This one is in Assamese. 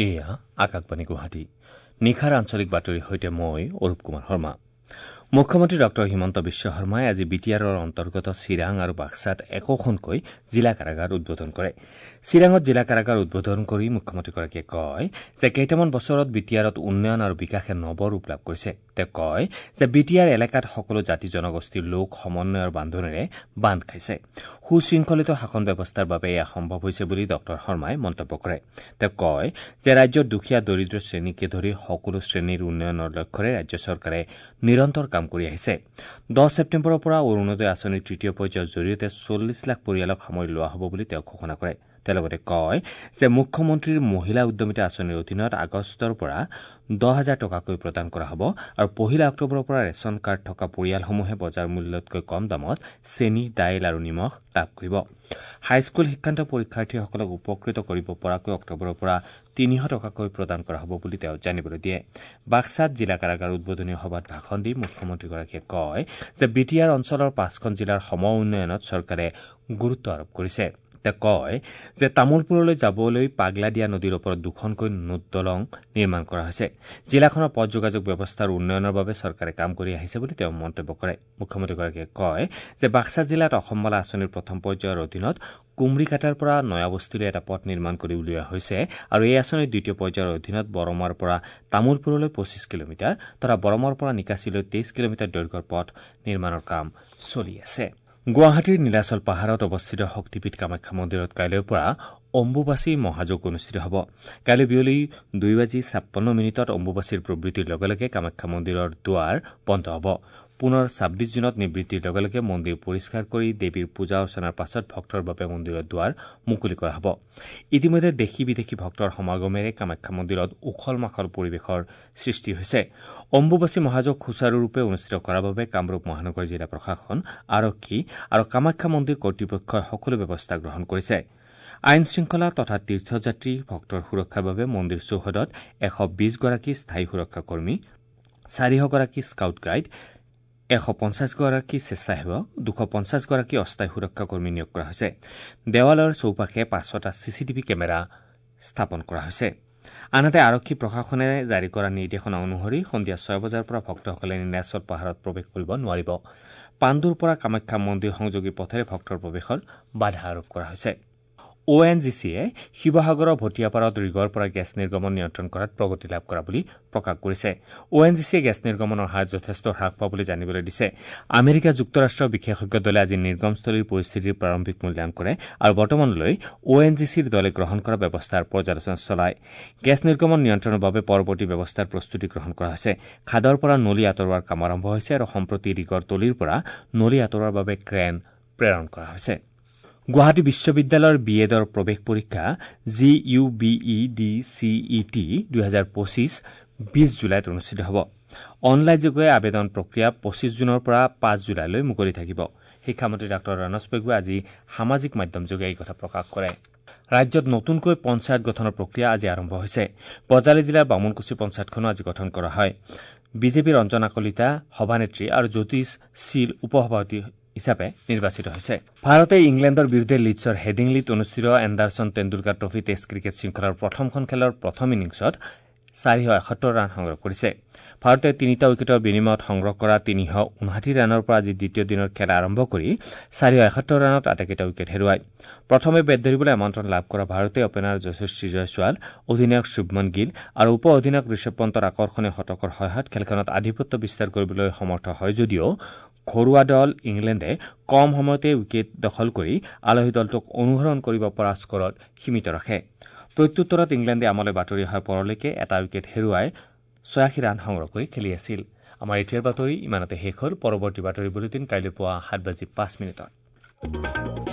এয়া আকাশবাণী গুৱাহাটী। নিশাৰ আঞ্চলিক বাতৰিৰ সৈতে মই অৰূপ কুমাৰ শৰ্মা। মুখ্যমন্ত্ৰী ডঃ হিমন্ত বিশ্ব শৰ্মাই আজি বি টি আৰৰ অন্তৰ্গত চিৰাং আৰু বাক্সাত একোখনকৈ জিলা কাৰাগাৰ উদ্বোধন কৰে। চিৰাঙত জিলা কাৰাগাৰ উদ্বোধন কৰি মুখ্যমন্ত্ৰীগৰাকীয়ে কয় যে কেইটামান বছৰত বি টি আৰত উন্নয়ন আৰু বিকাশে নৱ ৰূপ লাভ কৰিছে। তেওঁ কয় যে বি টি আৰ এলেকাত সকলো জাতি জনগোষ্ঠীৰ লোক সমন্বয়ৰ বান্ধোনেৰে বান্ধ খাইছে। সুশৃংখলিত শাসন ব্যৱস্থাৰ বাবে এয়া সম্ভৱ হৈছে বুলি ডঃ শৰ্মাই মন্তব্য কৰে। তেওঁ কয় যে ৰাজ্যৰ দুখীয়া দৰিদ্ৰ শ্ৰেণীকে ধৰি সকলো শ্ৰেণীৰ উন্নয়নৰ লক্ষ্যৰে ৰাজ্য চৰকাৰে নিৰন্তৰ কাম কৰি আহিছে। 10 ছেপ্টেম্বৰৰ পৰা অৰুণোদয় আঁচনিৰ তৃতীয় পৰ্যায়ৰ জৰিয়তে 40 লাখ পৰিয়ালক সামৰি লোৱা হ'ব বুলি তেওঁ ঘোষণা কৰে। তেওঁ লগতে কয় যে মুখ্যমন্ত্ৰীৰ মহিলা উদ্যমিতা আঁচনিৰ অধীনত আগষ্টৰ পৰা 10,000 টকাকৈ প্ৰদান কৰা হ'ব আৰু 1 অক্টোবৰৰ পৰা ৰেচন কাৰ্ড থকা পৰিয়ালসমূহে বজাৰ মূল্যতকৈ কম দামত চেনী, দাইল আৰু নিমখ লাভ কৰিব। হাইস্কুল শিক্ষান্ত পৰীক্ষাৰ্থীসকলক উপকৃত কৰিব পৰাকৈ অক্টোবৰৰ পৰা 300 টকাকৈ প্ৰদান কৰা হ'ব বুলি তেওঁ জানিবলৈ দিয়ে। বাক্সাত জিলা কাৰাগাৰ উদ্বোধনী সভাত ভাষণ দি মুখ্যমন্ত্ৰীগৰাকীয়ে কয় যে বি টি আৰ অঞ্চলৰ 5খন জিলাৰ সম উন্নয়নত চৰকাৰে গুৰুত্ব আৰোপ কৰিছে। তেওঁ কয় যে তামোলপুৰলৈ যাবলৈ পাগলাদিয়া নদীৰ ওপৰত দুখনকৈ দলং নিৰ্মাণ কৰা হৈছে। জিলাখনৰ পথ যোগাযোগ ব্যৱস্থাৰ উন্নয়নৰ বাবে চৰকাৰে কাম কৰি আহিছে বুলি তেওঁ মন্তব্য কৰে। মুখ্যমন্ত্ৰীগৰাকীয়ে কয় যে বাক্সা জিলাত অসমমালা আঁচনিৰ প্ৰথম পৰ্যায়ৰ অধীনত কুমৰিকাটাৰ পৰা নয়াবস্তিলৈ এটা পথ নিৰ্মাণ কৰি উলিওৱা হৈছে আৰু এই আঁচনিৰ দ্বিতীয় পৰ্যায়ৰ অধীনত বৰমাৰ পৰা তামোলপুৰলৈ 25 কিলোমিটাৰ তথা বৰমাৰ পৰা নিকাছিলৈ 23 কিলোমিটাৰ দৈৰ্ঘ্যৰ পথ নিৰ্মাণৰ কাম চলি আছে। গুৱাহাটীৰ নীলাচল পাহাৰত অৱস্থিত শক্তিপীঠ কামাখ্যা মন্দিৰত কাইলৈৰ পৰা অম্বুবাচী মহাযোগ অনুষ্ঠিত হ'ব। কাইলৈ বিয়লি 2:56 অম্বুবাচীৰ প্ৰবৃত্তিৰ লগে লগে কামাখ্যা মন্দিৰৰ দুৱাৰ বন্ধ হ'ব। পুনৰ 26 জুনত নিবৃত্তিৰ লগে লগে মন্দিৰ পৰিষ্কাৰ কৰি দেৱীৰ পূজা অৰ্চনাৰ পাছত ভক্তৰ বাবে মন্দিৰৰ দুৱাৰ মুকলি কৰা হ'ব। ইতিমধ্যে দেশী বিদেশী ভক্তৰ সমাগমেৰে কামাখ্যা মন্দিৰত উখল মাখল পৰিৱেশৰ সৃষ্টি হৈছে। অম্বুবাচী মহাযোগ সুচাৰুৰূপে অনুষ্ঠিত কৰাৰ বাবে কামৰূপ মহানগৰ জিলা প্ৰশাসন, আৰক্ষী আৰু কামাখ্যা মন্দিৰ কৰ্তৃপক্ষই সকলো ব্যৱস্থা গ্ৰহণ কৰিছে। আইন শৃংখলা তথা তীৰ্থযাত্ৰী ভক্তৰ সুৰক্ষাৰ বাবে মন্দিৰ চৌহদত 120গৰাকী স্থায়ী সুৰক্ষা কৰ্মী, 400গৰাকী স্কাউট গাইড, 150গৰাকী স্বেচ্ছাসেৱক, 250গৰাকী অস্থায়ী সুৰক্ষা কৰ্মী নিয়োগ কৰা হৈছে। দেৱালয়ৰ চৌপাশে 500টা চিচিটিভি কেমেৰা স্থাপন কৰা হৈছে। আনহাতে আৰক্ষী প্ৰশাসনে জাৰি কৰা নিৰ্দেশনা অনুসৰি সন্ধিয়া 6 বজাৰ পৰা ভক্তসকলে নীলাচল পাহাৰত প্ৰৱেশ কৰিব নোৱাৰিব। পাণ্ডুৰ পৰা কামাখ্যা মন্দিৰ সংযোগী পথেৰে ভক্তৰ প্ৰৱেশৰ বাধা আৰোপ কৰা হৈছে। অ' এন জি চিয়ে শিৱসাগৰৰ ভটিয়াপাৰত ৰিগৰ পৰা গেছ নিৰ্গমন নিয়ন্ত্ৰণ কৰাত প্ৰগতি লাভ কৰা বুলি প্ৰকাশ কৰিছে। অ' এন জি চিয়ে গেছ নিৰ্গমনৰ হাৰ যথেষ্ট হ্ৰাস পোৱা বুলি জানিবলৈ দিছে। আমেৰিকা যুক্তৰাষ্ট্ৰৰ বিশেষজ্ঞ দলে আজি নিৰ্গমস্থলীৰ পৰিস্থিতিৰ প্ৰাৰম্ভিক মূল্যায়ন কৰে আৰু বৰ্তমানলৈ অ' এন জি চিৰ দলে গ্ৰহণ কৰা ব্যৱস্থাৰ পৰ্যালোচনা চলায়। গেছ নিৰ্গমন নিয়ন্ত্ৰণৰ বাবে পৰৱৰ্তী ব্যৱস্থাৰ প্ৰস্তুতি গ্ৰহণ কৰা হৈছে। খাদৰ পৰা নলী আঁতৰোৱাৰ কাম আৰম্ভ হৈছে আৰু সম্প্ৰতি ৰিগৰ তলিৰ পৰা নলী আঁতৰোৱাৰ বাবে ক্ৰেন প্ৰেৰণ কৰা হৈছে। গুৱাহাটী বিশ্ববিদ্যালয়ৰ বি এডৰ প্ৰৱেশ পৰীক্ষা G U B E D C E T 2025 20 জুলাইত অনুষ্ঠিত হ'ব। অনলাইনযোগে আবেদন প্ৰক্ৰিয়া 25 জুনৰ পৰা 5 জুলাইলৈ মুকলি থাকিব। শিক্ষামন্ত্ৰী ডাঃ ৰণোজ পেগুৱে আজি সামাজিক মাধ্যমযোগে এই কথা প্ৰকাশ কৰে। ৰাজ্যত নতুনকৈ পঞ্চায়ত গঠনৰ প্ৰক্ৰিয়া আজি আৰম্ভ হৈছে। বজালী জিলাৰ বামুণকুছি পঞ্চায়তখনো আজি গঠন কৰা হয়। বিজেপিৰ ৰঞ্জনা কলিতা সভানেত্ৰী আৰু জ্যোতিষ শীল উপসভাপতি হিচাপে নিৰ্বাচিত হৈছে। ভাৰতে ইংলেণ্ডৰ বিৰুদ্ধে লিডছৰ হেডিংলিত অনুষ্ঠিত Anderson Tendulkar trophy test cricket শৃংখলাৰ প্ৰথমখন খেলৰ প্ৰথম ইনিংছত 471 ৰান সংগ্ৰহ কৰিছে। ভাৰতে 3টা উইকেটৰ বিনিময়ত সংগ্ৰহ কৰা 359 ৰানৰ পৰা আজি দ্বিতীয় দিনৰ খেল আৰম্ভ কৰি 471 ৰানত আটাইকেইটা উইকেট হেৰুৱায়। প্ৰথমে বেট ধৰিবলৈ আমন্ত্ৰণ লাভ কৰা ভাৰতে অপেনাৰ যশস্বী জয়ছোৱাল, অধিনায়ক শুভমন গিল আৰু উপ অধিনায়ক ঋষভ পন্তৰ আকৰ্ষণীয় শতকৰ সহায়ত খেলখনত আধিপত্য বিস্তাৰ কৰিবলৈ সমৰ্থ হয় যদিও ঘৰুৱা দল ইংলেণ্ডে কম সময়তে উইকেট দখল কৰি আলহী দলটোক অনুসৰণ কৰিব পৰা স্কৰত সীমিত ৰাখে। প্ৰত্যুত্তৰত ইংলেণ্ডে আমালৈ বাতৰি অহাৰ পৰলৈকে এটা উইকেট হেৰুৱাই 86 ৰান সংগ্ৰহ কৰি খেলি আছিল। আমাৰ এতিয়াৰ বাতৰি ইমানতে শেষ হ'ল। পৰৱৰ্তী বাতৰি বুলেটিন কাইলৈ পুৱা 7:05।